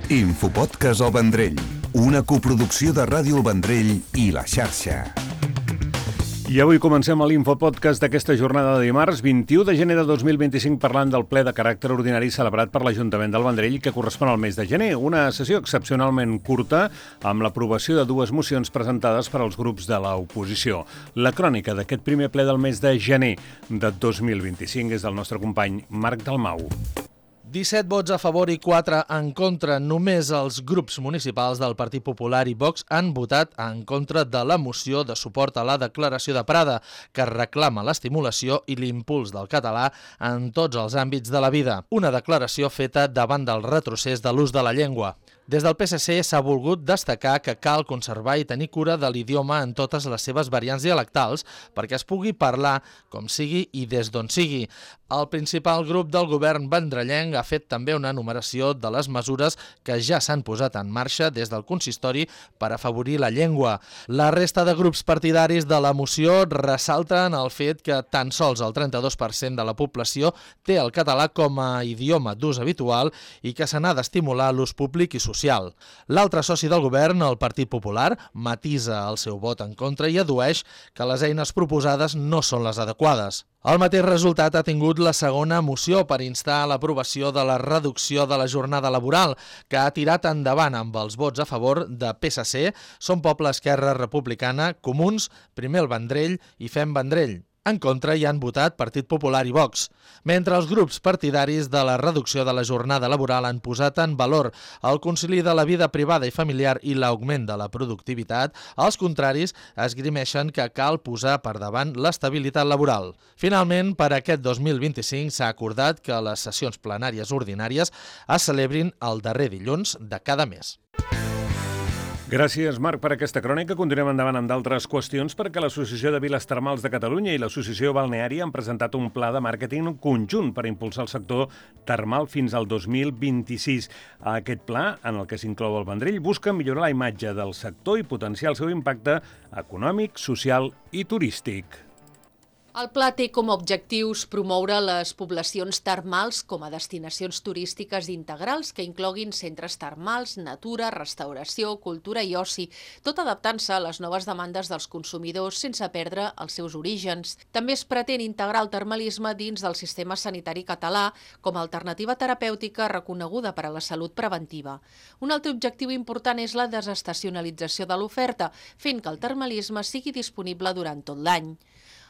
Infopodcast El Vendrell, una coproducció de Ràdio El Vendrell i La Xarxa. I avui comencem l'Infopodcast d'aquesta jornada de dimarts, 21 de gener de 2025, parlant del ple de caràcter ordinari celebrat per l'Ajuntament del Vendrell, que correspon al mes de gener. Una sessió excepcionalment curta, amb l'aprovació de dues mocions presentades per als grups de l'oposició. La crònica d'aquest primer ple del mes de gener de 2025 és del nostre company Marc Dalmau. 17 vots a favor i 4 en contra. Només els grups municipals del Partit Popular i Vox han votat en contra de la moció de suport a la declaració de Prada, que reclama l'estimulació i l'impuls del català en tots els àmbits de la vida. Una declaració feta davant del retrocés de l'ús de la llengua. Des del PSC s'ha volgut destacar que cal conservar i tenir cura de l'idioma en totes les seves variants dialectals perquè es pugui parlar com sigui i des d'on sigui. El principal grup del govern vendrellenc ha fet també una enumeració de les mesures que ja s'han posat en marxa des del consistori per afavorir la llengua. La resta de grups partidaris de la moció ressalten el fet que tan sols el 32% de la població té el català com a idioma d'ús habitual i que se n'ha d'estimular l'ús públic i social. L'altre soci del govern, el Partit Popular, matisa el seu vot en contra i addueix que les eines proposades no són les adequades. El mateix resultat ha tingut la segona moció per instar a l'aprovació de la reducció de la jornada laboral, que ha tirat endavant amb els vots a favor de PSC, Som Poble, Esquerra Republicana, Comuns, Primer el Vendrell i Fem Vendrell. En contra hi han votat Partit Popular i Vox, mentre els grups partidaris de la reducció de la jornada laboral han posat en valor el concili de la vida privada i familiar i l'augment de la productivitat. Els contraris esgrimeixen que cal posar per davant l'estabilitat laboral. Finalment, per aquest 2025 s'ha acordat que les sessions plenàries ordinàries es celebrin el darrer dilluns de cada mes. Gràcies, Marc, per aquesta crònica. Continuem endavant amb d'altres qüestions perquè l'Associació de Viles Termals de Catalunya i l'Associació Balneària han presentat un pla de màrqueting conjunt per impulsar el sector termal fins al 2026. Aquest pla, en el que s'inclou el Vendrell, busca millorar la imatge del sector i potenciar el seu impacte econòmic, social i turístic. El pla té com a objectius promoure les poblacions termals com a destinacions turístiques integrals que incloguin centres termals, natura, restauració, cultura i oci, tot adaptant-se a les noves demandes dels consumidors sense perdre els seus orígens. També es pretén integrar el termalisme dins del sistema sanitari català com a alternativa terapèutica reconeguda per a la salut preventiva. Un altre objectiu important és la desestacionalització de l'oferta, fent que el termalisme sigui disponible durant tot l'any.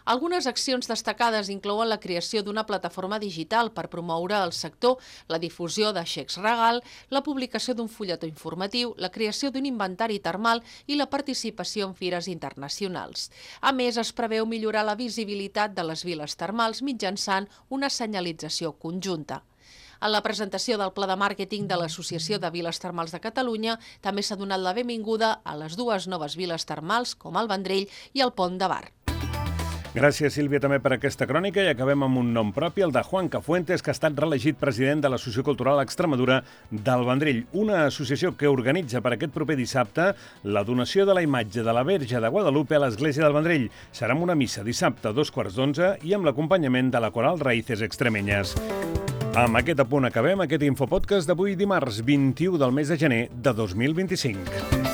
Algunes accions destacades inclouen la creació d'una plataforma digital per promoure el sector, la difusió de xecs regal, la publicació d'un fulletó informatiu, la creació d'un inventari termal i la participació en fires internacionals. A més, es preveu millorar la visibilitat de les viles termals mitjançant una senyalització conjunta. En la presentació del pla de màrqueting de l'Associació de Viles Termals de Catalunya també s'ha donat la benvinguda a les dues noves viles termals, com el Vendrell i el Pont de Bar. Gràcies, Sílvia, també per aquesta crònica i acabem amb un nom propi, el de Juan Cafuentes, que ha estat reelegit president de l'Associació Cultural Extremadura del Vendrell, una associació que organitza per aquest proper dissabte la donació de la imatge de la Verge de Guadalupe a l'Església del Vendrell. Serà amb una missa dissabte a 11:15 i amb l'acompanyament de la coral Raíces Extremeñas. Amb aquest apunt acabem aquest Infopodcast d'avui dimarts 21 del mes de gener de 2025.